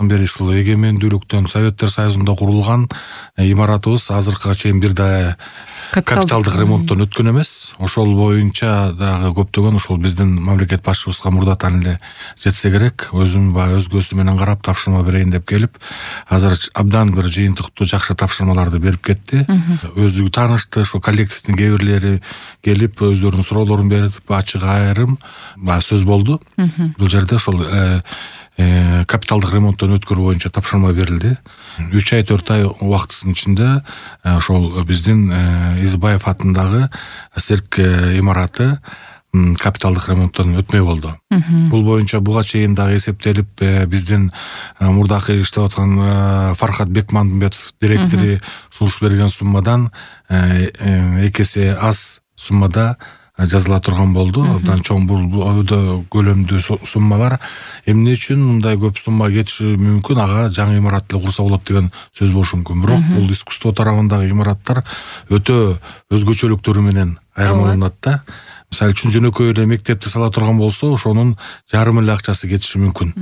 бери ушул эгемендүүлүктөн Советтер Союзунда курулган имаратыбыз азыркыга чейин бир да капиталдык ремонттон өткөн эмес. Ошол боюнча дагы көптөгөн ушул биздин мамлекет башчыбызга мурдатан эле жетсе керек. Өзүм баягы өзгөсү менен карап тапшырма берейин деп келип, азыр абдан бир жыйынтыктуу жакшы тапшырмаларды берип кетти. Өзү таанышты, ошо коллективдин кээ бирлери келип өздөрүнүн суроолорун берип, ачык айрым сөз болду. Бул жерде ошол капиталдык ремонттон өткөрүү боюнча тапшырма берилди. 3 ай 4 ай убактысынын ичинде ошол биздин Избаев атындагы цирк имараты капиталдык ремонттон өтмөй болду. Бул боюнча буга чейин дагы эсептелип, биздин мурдакы иштеп аткан Фархат Бекмамбетов директору сунуш берген суммадан 2 эсе аз суммада жазыла турган болду. Абдан чоң бул көлөмдүү суммалар. Эмне үчүн мындай көп сумма кетиши мүмкүн? Ага жаңы имарат эле курса болот деген сөз болушу мүмкүн. Бирок бул искусство тарабындагы имараттар өтө өзгөчөлүктөрү менен айырмаланат да. Мисалы үчүн жөнөкөй эле мектепти сала турган болсо, ошонун жарым эле акчасы кетиши мүмкүн.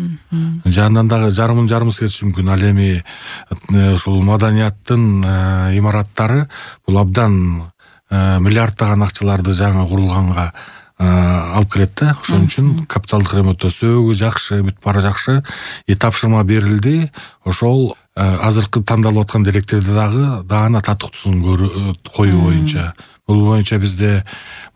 Жанынан дагы жарымысы кетиши мүмкүн. Ал эми ушул маданияттын имараттары бул абдан миллиарддаган акчаларды жаңы курулганга алып келет да. Ошон үчүн капиталдык ремонттоо сөөгү жакшы, бүт баары жакшы. Тапшырма берилди. Ошол азыркы тандалып аткан директорду дагы даана татыктуусун коюу боюнча. Бул боюнча бизде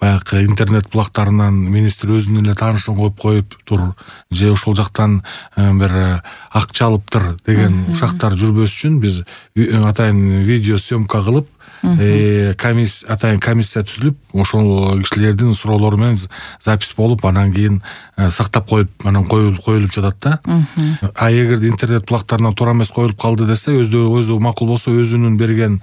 баягы интернет булактарынан министр өзүнүн эле таанышын коюп тур, же ошол жактан бир акча алыптыр деген ушактар жүрбөс үчүн биз атайын видео съемка кылып, атайын комиссия түзүлүп, ошол кишилердин суроолору менен запись болуп, анан кийин сактап коюп, анан коюлуп жатат да. А эгерде интернет булактарынан туура эмес коюлуп калды десе, өзү макул болсо, өзүнүн берген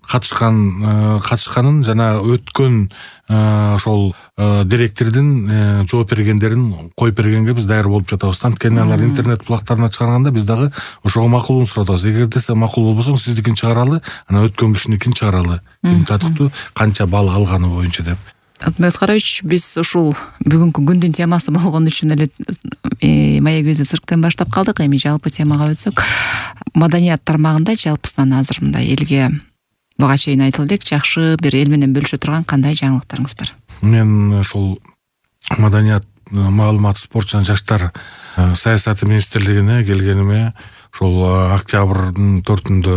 катышканын жана өткөн ошол директордун жооп бергендерин коюп бергенге биз даяр болуп жатабыз. Анткени алар интернет булактарына чыгарганда биз дагы ошого макулун сурап атабыз. Эгерде сиз макул болбосоң, сиздикин чыгаралы, анан өткөн кишиникин чыгаралы. Ким татыктуу, канча балл алганы боюнча деп. Атмет Караевич, биз ушул бүгүнкү күндүн темасы болгон үчүн эле Маек өзү цирктен баштап калдык. Эми жалпы темага өтсөк, маданият тармагында жалпысынан азыр мындай элге буга чейин айтылып элек, жакшы бир эл менен бөлүшө турган кандай жаңылыктарыңыз бар? Мен ошол маданият, маалымат, спорт жана жаштар саясаты министрлигине келгениме ошол октябрдын 4-үндө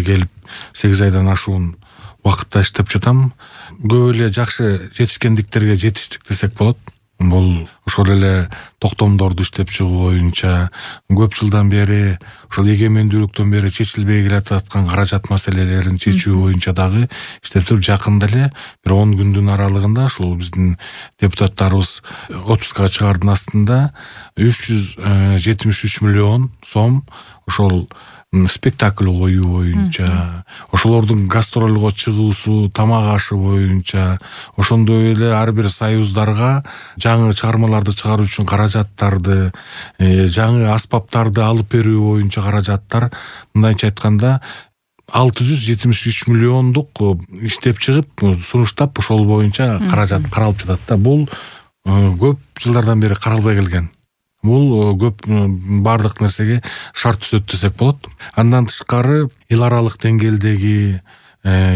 келип 8 айдан ашуун убакытта иштеп жатам. Көп эле жакшы жетишкендиктерге жетиштик десек болот. Бул ошол эле токтомдорду иштеп чыгуу боюнча көп жылдан бери, ошол эгемендүүлүктөн бери чечилбей келаткан каражат маселелерин чечүү боюнча дагы иштеп туруп, жакында эле бир 10 күндүн аралыгында ушул биздин депутаттарыбыз отпускага чыгаардын астында 373 миллион сом ошол спектакль коюу боюнча, ошолордун гастролго чыгуусу, тамак ашы боюнча, ошондой эле ар бир союздарга жаңы чыгармаларды чыгаруу үчүн каражаттарды, жаңы аспаптарды алып берүү боюнча каражаттар, мындайча айтканда 673 миллиондук иштеп чыгып, сунуштап, ошол боюнча каражат каралып жатат да. Бул көп жылдардан бери каралбай келген. Бул көп бардык нерсеге шарт түзөт десек болот. Андан тышкары эл аралык деңгээлдеги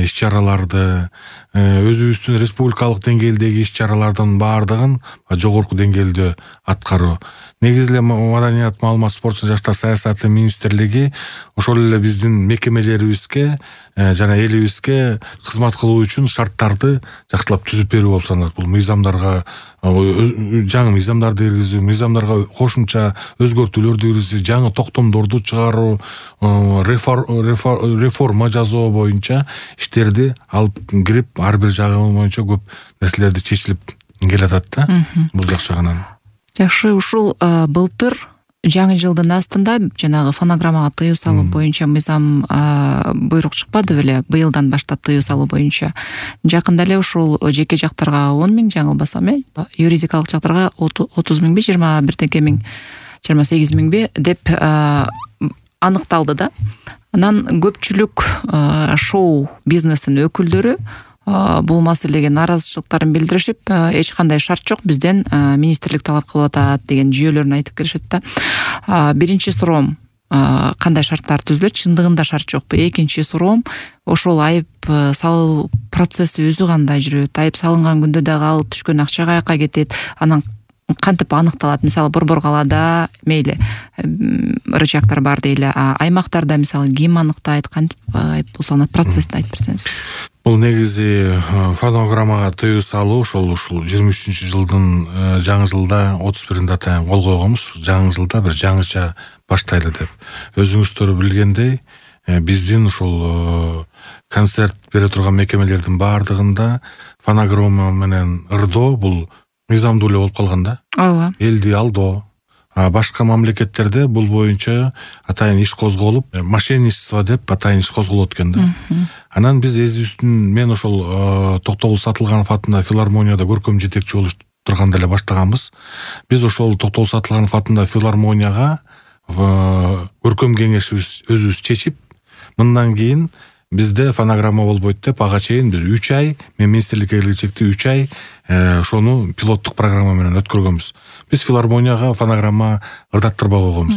иш-чараларды, өзүбүздүн республикалык деңгээлдеги иш-чаралардын баардыгын жогорку деңгээлде аткаруу. Негизи эле маданият, маалымат, спорт жана жаштар саясаты министрлиги ошол эле биздин мекемелерибизге жана элибизге кызмат кылуу үчүн шарттарды жакшылап түзүп берүү болуп саналат. Бул мыйзамдарга жаңы мыйзамдарды киргизүү, мыйзамдарга кошумча өзгөртүүлөрдү киргизүү, жаңы токтомдорду чыгаруу, реформа жасоо боюнча иштерди алып кирип, ар бир жагы боюнча көп нерселерди чечилип келатат да. Бул жак жагынан. Жакшы, ушул былтыр жаңы жылдын астында жанагы фонограммага тыюу салуу боюнча мыйзам буйрук чыкпады беле? Быйылдан баштап тыюу салуу боюнча. Жакында эле ушул жеке жактарга 10 миң, жаңылбасам, юридикалык жактарга 30 миңби, 21 миң, 28 миңби деп аныкталды да. Анан көпчүлүк шоу бизнестин өкүлдөрү бул маселеге нааразычылыктарын билдиришип, эч кандай шарт жок, бизден министрлик талап кылып атат деген жүйөлөрүн айтып келишет да. Биринчи суроом, кандай шарттар түзүлөт, чындыгында шарт жокпу? Экинчи суроом, ошол айып салуу процесси өзү кандай жүрөт? Айып салынган күндө дагы ал түшкөн акча каяка кетет? Анан кантип аныкталат? Мисалы Борбор калаада мейли рычагдар бар дейли, аймактарда мисалы ким аныктайт, кантип айып салынат, процессин айтып берсеңиз. Бул негизи фонограммага тыюу салуу ошол 23-жылдын жаңы жылда 31-inde атайын кол койгонбуз. Жаңы жылда бир жаңыча баштайлы деп. Өзүңүздөр билгендей, биздин ушул концерт бере турган мекемелердин баардыгында фонограмма менен ырдоо бул мыйзамдуу эле болуп калган да. Ооба. Элди алдоо. Башка мамлекеттерде бул боюнча атайын иш козголуп, мошенничество деп атайын иш козголот экен да. Анан биз эзибиздин, мен ошол Токтогул Сатылганов атындагы филармонияда көркөм жетекчи болуп турганда эле баштаганбыз. Биз ошол Токтогул Сатылганов атындагы филармонияга көркөм кеңешибиз өзүбүз чечип, мындан кийин бизде фонограмма болбойт деп, ага чейин биз 3 ай, мен министрликке келгенчекти 3 ай ошону пилоттук программа менен өткөргөнбүз. Биз филармонияга фонограмма ырдаттырбай койгонбуз.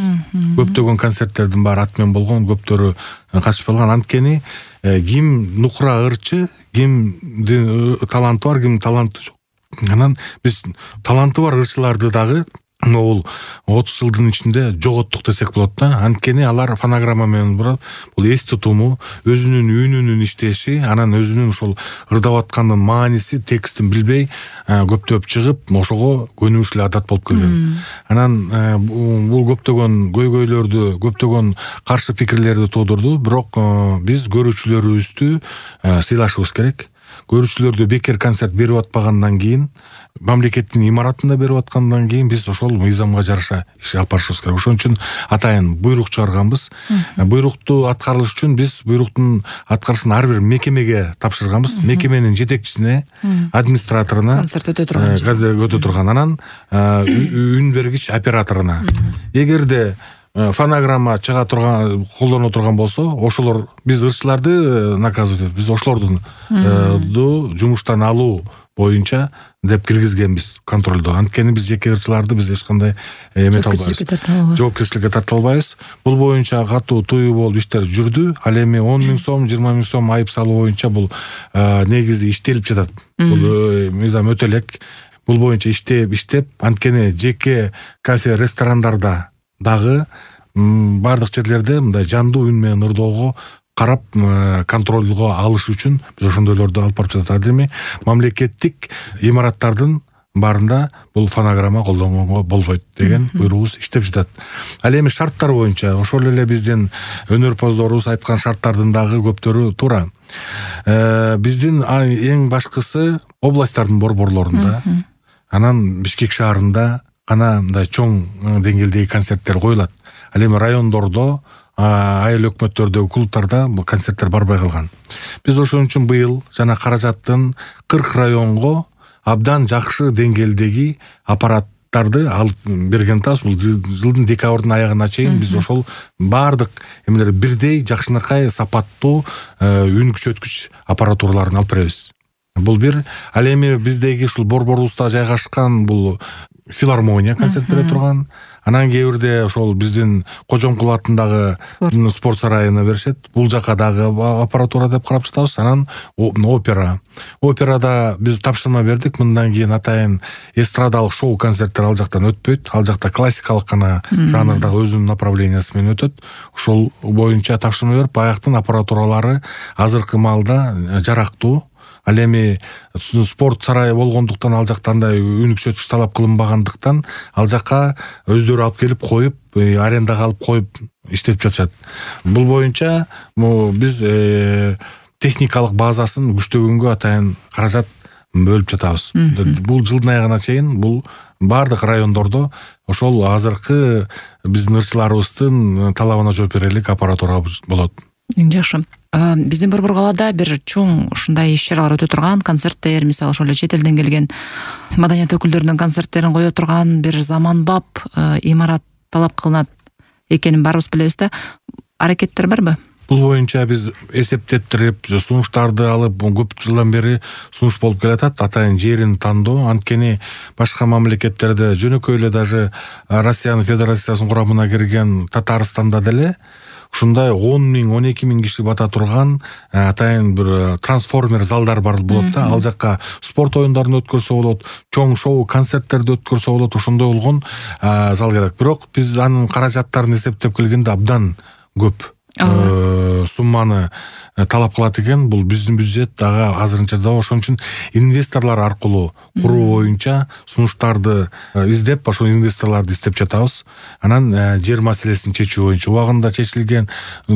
Көптөгөн концерттердин баары ат менен болгон, көптөрү катышпаган. Анткени ким нукура ырчы, кимдин таланты бар, кимдин таланты жок. Анан биз таланты бар ырчыларды дагы бул 30 жылдын ичинде жоготтук десек болот да. Анткени алар фонограмма менен бул эс тутуму, өзүнүн үнүнүн иштеши, анан өзүнүн ушул ырдап аткандын мааниси, текстин билбей көптөп чыгып, ошого көнүмүш эле адат болуп келген. Анан бул көптөгөн көйгөйлөрдү, көптөгөн каршы пикирлерди туудурду, бирок биз көрүүчүлөрүбүздү сыйлашыбыз керек. Көрүүчүлөрдү бекер концерт берип атпагандан кийин, мамлекеттин имаратында берип аткандан кийин биз ошол мыйзамга жараша иш алып барышыбыз керек. Ошон үчүн атайын буйрук чыгарганбыз. Буйрукту аткарыш үчүн биз буйруктун аткарышын ар бир мекемеге тапшырганбыз. Мекеменин жетекчисине, администраторуна, концерт өтө турган, анан үн бергич операторуна. Эгерде фонограмма чыга турган, колдоно турган болсо, ошолор биз ырчыларды наказывать этип, биз ошолордун жумуштан алуу боюнча деп киргизгенбиз контролдо. Анткени биз жеке ырчыларды биз эч кандай эмете албайбыз. Жоопкерчиликке тарта албайбыз. Бул боюнча катуу тыюу болуп иштер жүрдү. Ал эми 10 000 сом, 20 000 сом айып салуу боюнча бул негизи иштелип жатат. Бул мыйзам өтө элек. Бул боюнча иштеп, анткени жеке кафе, ресторандарда дагы бардык жерлерде мындай жандуу үн менен ырдоого карап контролго алыш үчүн биз ошондойлорду алып барып жатат. Эми мамлекеттик имараттардын баарында бул фонограмма колдонгонго болбойт деген буйругубуз иштеп жатат. Ал эми шарттар боюнча ошол эле биздин өнөрпоздорубуз айткан шарттардын дагы көптөрү туура. Биздин эң башкысы областтардын борборлорунда, анан Бишкек шаарында гана мындай чоң деңгээлдеги концерттер коюлат. Ал эми райондордо, айыл өкмөттөрдөгү клубтарда бул концерттер барбай калган. Биз ошон үчүн быйыл жана каражаттын 40 районго абдан жакшы деңгээлдеги аппараттарды алып берген атабыз. Бул жылдын декабрдын аягына чейин биз ошол бардык эмелер бирдей жакшынакай сапаттуу үн күчөткүч аппаратураларын алып беребиз. Бул бир. Ал эми биздеги ушул борборубузда жайгашкан бул филармония концерт бере турган. Анан кээ бирде ошол биздин Кожомкул атындагы спорт сарайына беришет. Бул жака дагы аппаратура деп карап жатабыз. Анан опера. Операда биз тапшырма бердик. Мындан кийин атайын эстрадалык шоу концерттер ал жактан өтпөйт. Ал жакта классикалык гана жанрдагы өзүнүн направлениясы менен өтөт. Ошол боюнча тапшырма берип, баяктын аппаратуралары азыркы маалда жарактуу. Ал эми спорт сарайы болгондуктан ал жакта андай үн күчөткүч талап кылынбагандыктан ал жака өздөрү алып келип коюп, арендага алып коюп иштетип жатышат. Бул боюнча биз техникалык базасын күчтөгөнгө атайын каражат бөлүп жатабыз. Бул жылдын аягына чейин бул бардык райондордо ошол азыркы биздин ырчыларыбыздын талабына жооп берерлик аппаратура болот. Жакшы. Биздин Борбор калаада бир чоң ушундай иш-чаралар өтө турган, концерттер, мисалы ошол эле чет элден келген маданият өкүлдөрүнүн концерттерин кое турган бир заманбап имарат талап кылынат экенин баарыбыз билебиз да. Аракеттер барбы? Бул боюнча биз эсептеттирип, сунуштарды алып көп жылдан бери сунуш болуп келатат. Атайын жерин тандоо. Анткени башка мамлекеттерде жөнөкөй эле даже Россиянын Федерациясынын курамына кирген Татарстанда деле ушундай 10 000, 12 000 киши бата турган атайын бир трансформер залдар бар болот да. Ал жакка спорт оюндарын өткөрсө болот, чоң шоу концерттерди өткөрсө болот. Ошондой болгон зал керек. Бирок биз анын каражаттарын эсептеп келгенде абдан көп сумманы талап кылат экен. Бул биздин бюджет дагы азырынча да, ошон үчүн инвесторлор аркылуу куруу боюнча сунуштарды издеп, ошол инвесторлорду издеп жатабыз. Анан жер маселесин чечүү боюнча убагында чечилген,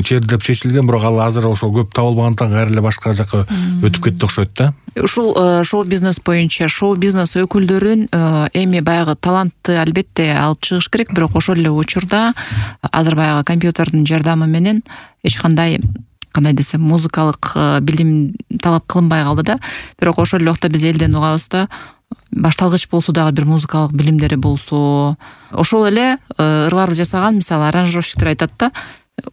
черлеп чечилген, бирок ал азыр ошол көп табылбагандыктан кайра эле башка жака өтүп кетти окшойт да. Ушул шоу-бизнес боюнча шоу-бизнес өкүлдөрүн эми баягы талантты албетте алып чыгыш керек, бирок ошол эле учурда азыр баягы компьютердин жардамы менен эч кандай десем музыкалык билим талап кылынбай калды да. Бирок ошол эле убакта биз элден угабыз да, башталгыч болсо дагы бир музыкалык билимдери болсо, ошол эле ырларды жасаган, мисалы аранжировщиктер айтат да,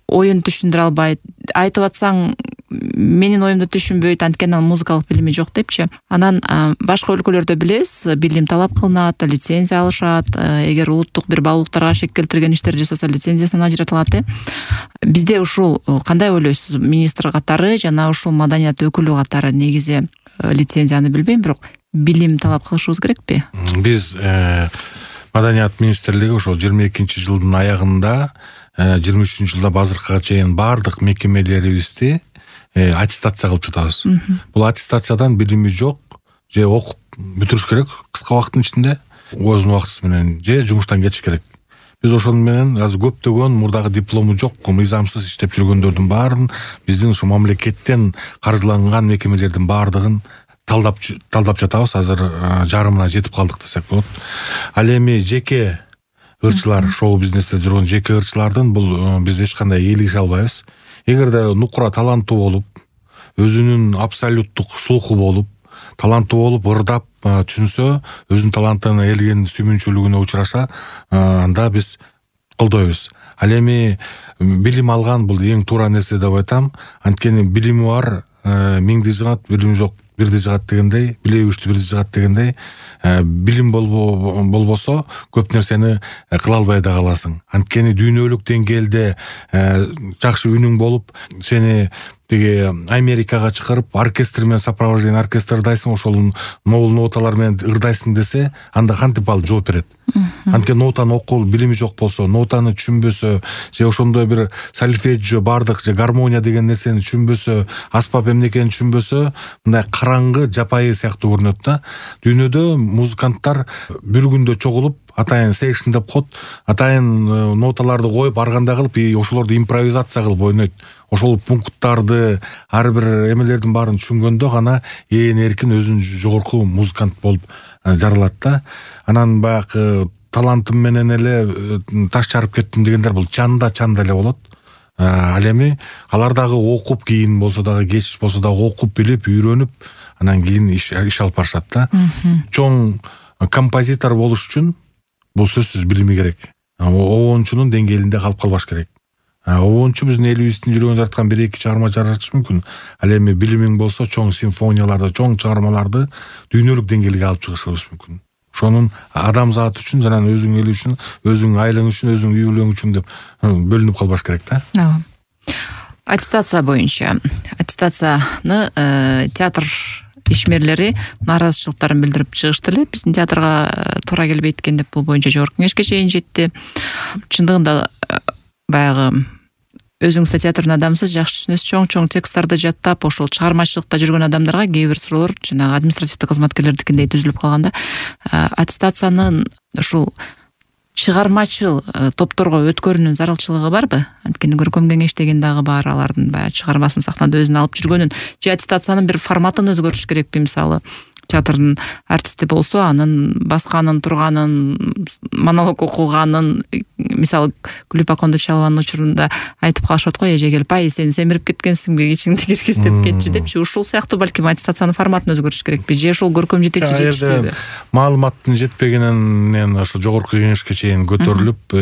оюн түшүндүрө албайт, айтып атсаң менин оюмду түшүнбөйт, анткени анын музыкалык билими жок депчи. Анан башка өлкөлөрдө билебиз, билим талап кылынат, лицензия алышат, эгер улуттук бир баалуулуктарга шек келтирген иштер жасаса лицензиясын ажыратылат. Бизде ушул кандай ойлойсуз, министр катары жана ушул маданият өкүлү катары негизи лицензияны билбейм, бирок билим талап кылышыбыз керекпи? Биз маданият министрлиги ошол 22-жылдын аягында 23 жылда азыркыга чейин баардык мекемелерибизди аттестация кылып жатабыз. Бул аттестациядан билими жок же окуп бүтүрүш керек кыска убакыттын ичинде, өзүнүн убактысы менен, же жумуштан кетиш керек. Биз ошону менен азыр көптөгөн мурдагы диплому жок, мыйзамсыз иштеп жүргөндөрдүн баарын биздин ушу мамлекеттен каржыланган мекемелердин баардыгын талдап жатабыз. Азыр жарымына жетип калдык десек болот. Ал эми жеке ырчылар, шоу бизнесте жүргөн жеке ырчылардын бул биз эч кандай ээлише албайбыз. Эгерде нукура таланттуу болуп, өзүнүн абсолюттук слуху болуп, таланттуу болуп, ырдап түшүнсө, өзүнүн талантын элдин сүймүнчүлүгүнө учураша, анда биз колдойбуз. Ал эми билим алган бул эң туура нерсе деп айтам. Анткени билими бар, миңди жыгат, билими жок бирди жыгат дегендей, билеги күчтүү бирди жыгат дегендей, билим болбосо көп нерсени кыла албай да каласың. Анткени дүйнөлүк деңгээлде жакшы үнүң болуп, сени тиги Америкага чыгарып, оркестр менен сопровождение оркестрдайсың, ошол могул ноталар менен ырдайсың десе, анда кантип ал жооп берет? Анткени нотаны окуп билими жок болсо, нотаны түшүнбөсө, же ошондой бир сольфеджио бардык, же гармония деген нерсени түшүнбөсө, аспап эмнекени түшүнбөсө, мындай караңгы, жапайы сыяктуу көрүнөт да. Дүйнөдө музыканттар бир күндө чогулуп, атайын сейшн деп коет, атайын ноталарды коюп, ар кандай кылып, ошолорду импровизация кылып ойнойт. Ошол пункттарды, ар бир эмелердин баарын түшүнгөндө гана эркин өзүн жогорку музыкант болуп жаралат да. Анан баягы талантым менен эле таш чарып кеттим дегендер бул чанда эле болот. Ал эми алар дагы окуп, кийин болсо дагы кеч болсо дагы окуп билип, үйрөнүп, анан кийин иш алып барышат да. Чоң композитор болуш үчүн бул сөзсүз билими керек. Обончунун деңгээлинде калып калбаш керек. Обончу биздин элибиздин жүргөн жараткан 1-2 чыгарма жаратышы мүмкүн. Ал эми билимиң болсо, чоң симфонияларды, чоң чыгармаларды дүйнөлүк деңгээлге алып чыгышыбыз мүмкүн. Ошонун адамзат үчүн, жана өзүң эл үчүн, өзүң айлаң үчүн, өзүң үй бүлөң үчүн деп бөлүнүп калбаш керек да. Аттестация боюнча, аттестацияны театр ишмерлери нааразычылыктарын билдирип чыгышты эле. Биздин театрга туура келбейт экен деп бул боюнча жогорку кеңешке чейин жетти. Чындыгында баягы өзүңүз да театрдын адамысыз, жакшы түшүнөсүз, чоң тексттарды жаттап, ошол чыгармачылыкта жүргөн адамдарга кээ бир суроолор жанагы административдик кызматкерлердикиндей түзүлүп калганда, аттестациянын ушул чыгармачыл топторго өткөрүүнүн зарылчылыгы барбы? Анткени көркөм кеңеш деген дагы бар, алардын баягы чыгармасын сактанып өзүн алып жүргөнүн, же аттестациянын бир форматын өзгөртүш керекпи? Мисалы, театрдын артисти болсо, анын басканын, турганын, монолог окуганын, мисалы, Гүлүп Акондо Чалованын учурунда айтып калышат го, эже келип, ай, сен семирип кеткенсиңби, ичиңди киргиздеп кетчи депчи. Ушул сыяктуу балким аттестациянын форматын өзгөртүш керекпи, же ошол көркөм жетекчи жетиштүүбү? Маалыматтын жетпегенинен ошо жогорку кеңешке чейин көтөрүлүп,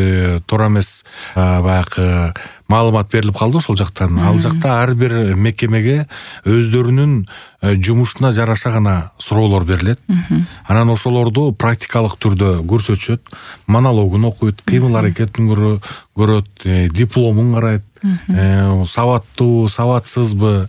туура эмес баягы маалымат берилип калды ошол жактан. Ал жакта ар бир мекемеге өздөрүнүн жумушуна жараша гана суроолор берилет. Анан ошолорду практикалык түрдө көрсөтүшөт, монологун окуйт, кыймыл аракетин көрөт, дипломун карайт, сабаттуу, сабатсызбы,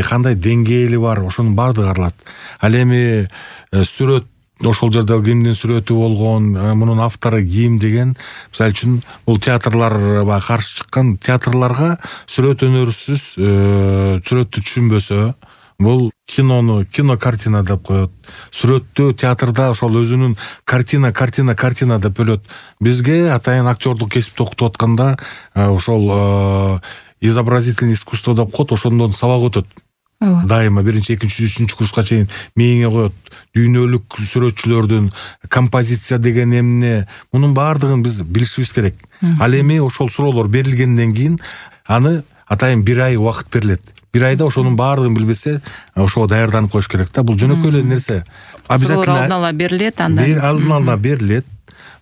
кандай деңгээли бар, ошонун баардыгы каралат. Ал эми сүрөт, ошол жерде кимдин сүрөтү болгон, мунун автору ким деген, мисалы үчүн бул театрларга каршы чыккан театрларга сүрөт өнөрсүз сүрөттү түшүнбөсө, бул кинокартина деп коет. Сүрөттү театрда ошол өзүнүн картина деп бөлөт. Бизге атайын актёрдук кесипти окутуп атканда ошол изобразительный искусство деп коет, ошондон сабак өтөт. Дайыма 1-2, 3 курска чейин мээңе коет. Дүйнөлүк сүрөтчүлөрдүн композиция деген эмне, мунун баардыгын биз билишибиз керек. Ал эми ошол суроолор берилгенден кийин аны атайын 1 ай убакыт берилет. 1 айда ошонун баардыгын билбесе, ошого даярданып коюш керек да. Бул жөнөкөй эле нерсе. Обязательно алдын ала берилет, алдын ала берилет.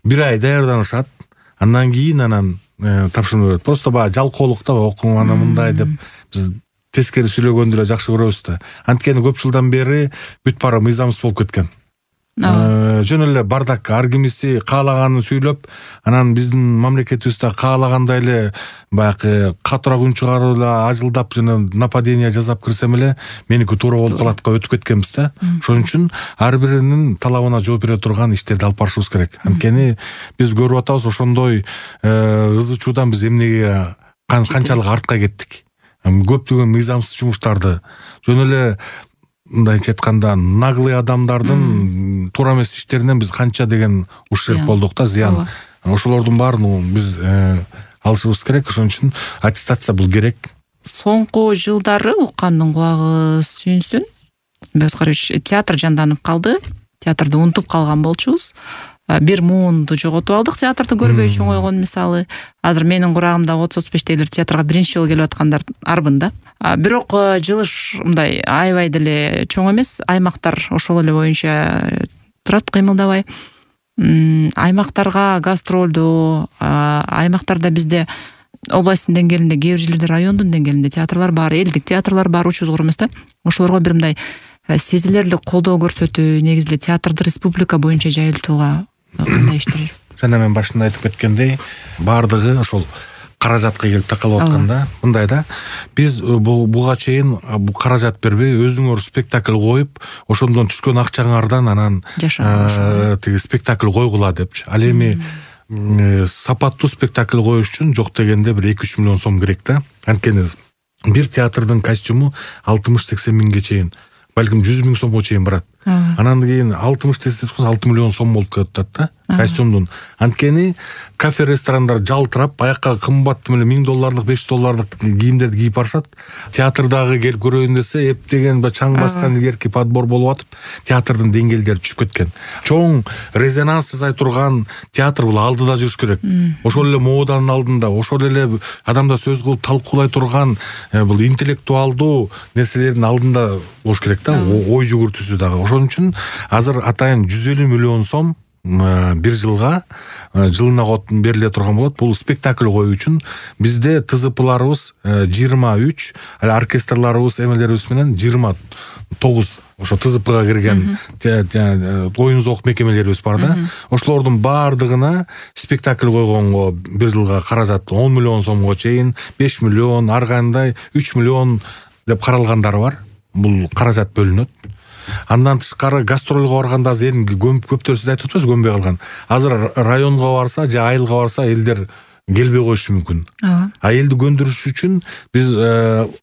1 ай даярданышат. Андан кийин тапшырма берет. Просто баягы жалкоолукта окуган мындай деп биз тескери сүйлөгөндү эле жакшы көрөбүз да. Анткени көп жылдан бери бүт баары мыйзамсыз болуп кеткен. Жөн эле бардак, ар кимиси каалаганын сүйлөп, анан биздин мамлекетибизде каалагандай эле баягы катуураак үн чыгарып эле ажылдап жана нападение жасап кирсем эле меники туура болуп калатка өтүп кеткенбиз да. Ошон үчүн ар биринин талабына жооп бере турган иштерди алып барышыбыз керек. Анткени биз көрүп атабыз ошондой ызы чуудан биз эмнеге канчалык артка кеттик. Көптөгөн мыйзамсыз жумуштарды, жөн эле мындайча айтканда наглый адамдардын туура эмес иштеринен биз канча деген ушерб болдук да, зыян. Ошолордун баарын биз алышыбыз керек. Ошон үчүн аттестация бул керек. Соңку жылдары уккандын кулагы сүйүнсүн. Бескарович, театр жанданып калды. Театрды унутуп калган болчубуз. Бир муунду жоготуп алдык, театрды көрбөй чоңойгон мисалы. Азыр менин курагымда 30-35-тейлер театрга биринчи жолу келип аткандар арбын да. Бирок жылыш мындай аябай деле чоң эмес, аймактар ошол эле боюнча турат, кыймылдабай. Аймактарга гастролдуу, аймактарда бизде областтын деңгээлинде, кээ бир жерлерде райондун деңгээлинде театрлар бар, элдик театрлар бар, учу зор эмес да. Ошолорго бир мындай сезилерлик колдоо көрсөтүү, негизи эле театрды республика боюнча жайылтууга кандай иштер? Жана мен башында айтып кеткендей, баардыгы ошол каражатка келип такалып атканда, мындай да, биз буга чейин каражат бербей, өзүңөр спектакль коюп, ошондон түшкөн акчаңардан анан тиги спектакль койгула депчи. Ал эми сапаттуу спектакль коюш үчүн жок дегенде бир 2-3 миллион сом керек да. Анткени бир театрдын костюму 60-80 миңге чейин, балким 100 миң сомго чейин барат. Анан кийин 60 десек 6 миллион сом болуп кетет да, костюмдун. Анткени кафе, ресторандар жалтырап, аякка кымбат $1000, $500 кийимдерди кийип барышат. Театрдагы келип көрөйүн десе, эптеген чаң баскан илгерки подбор болуп атып, театрдын деңгээлдери түшүп кеткен. Чоң резонанс жасай турган театр бул алдыда жүрүш керек. Ошол эле моданын алдында, ошол эле адамда сөз кылып талкуулай турган бул интеллектуалдуу нерселердин алдында болуш керек да, ой жүгүртүүсү дагы. Ошон үчүн азыр атайын 150 миллион сом бир жылга жылына бериле турган болот. Бул спектакль коюу үчүн бизде ТЗПларыбыз 23, оркестрларыбыз, эмелерибиз менен 29 ошо ТЗПга кирген оюн зоок мекемелерибиз бар да. Ошолордун баардыгына спектакль койгонго бир жылга каражат 10 миллион сомго чейин, 5 миллион, ар кандай 3 миллион деп каралгандары бар. Бул каражат бөлүнөт. Андан тышкары гастролго барганда азыр көптөр сиз айтып атпайсызбы, көнбөй калган. Азыр районго барса же айылга барса элдер келбей коюшу мүмкүн. Элди көндүрүш үчүн биз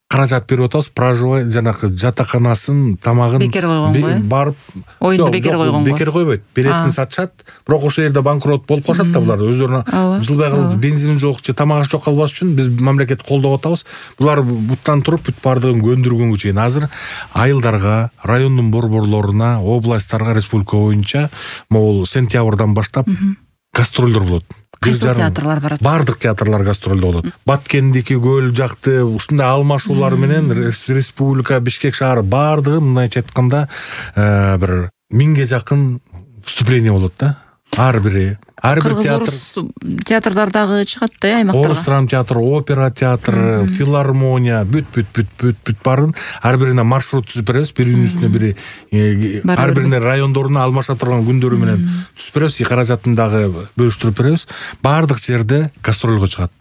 каражат берип атабыз. Проживай жанакы жатаканасын, тамагын бекер койгонго барып, оюнду бекер койгонго. Бекер койбойт. Билетин сатышат. Бирок ошол жерде банкрот болуп калышат да булар. Өздөрүнө жылбай калып бензин жок же тамагы жок калбаш үчүн биз мамлекет колдоп атабыз. Булар буттан туруп бүт баардыгын көндүргөнгө чейин азыр айылдарга, райондун борборлоруна, областтарга республика боюнча могул сентябрдан баштап гастролдор болот. Кайсы театрлар барат? Бардык театрлар гастролдо болот. Баткендики, Көл жакты ушундай алмашуулар менен республика, Бишкек шаары бардыгы мындайча айтканда бир 1000ге жакын выступление болот да. Ар бири ар бир театр, театрдар дагы чыгат да аймактарга. Орус драма театры, опера театры, филармония, бүт барын ар бирине маршрут түзүп беребиз. Биринин үстүнө бири ар бирине райондоруна алмаша турган күндөрү менен түзүп беребиз. Каражатын дагы бөлүштүрүп беребиз. Баардык жерде гастролго чыгат.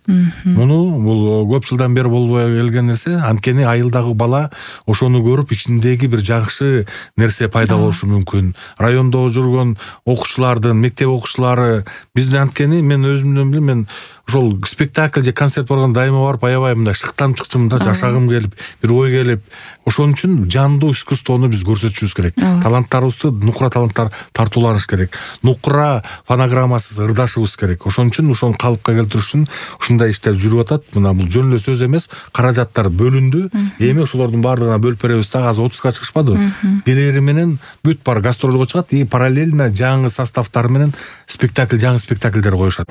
Муну бул көп жылдан бери болбой келген нерсе. Анткени айылдагы бала ошону көрүп ичиндеги бир жакшы нерсе пайда болушу мүмкүн. Райондо жүргөн окуучулардын, мектеп окуучулары бизде анткени мен өзүмдөн билем, мен ошол спектакль же концерт барганда дайыма барып аябай мындай шыктанып чыкчумун да, жашагым келип, бир ой келип. Ошон үчүн жандуу искусствону биз көрсөтүшүбүз керек. Таланттарыбызды нукура таланттар тартууланыш керек. Нукура фонограммасыз ырдашыбыз керек. Ошон үчүн ошону калыпка келтириш үчүн ушундай иштер жүрүп атат. Мына бул жөн эле сөз эмес, каражаттар бөлүндү. Эми ошолордун баардыгына бөлүп беребиз да, азыр 30га чыгышпадыбы? Келери менен бүт бар гастролго чыгат и параллельно жаңы составтар менен спектакль, жаңы спектакльдер коюшат.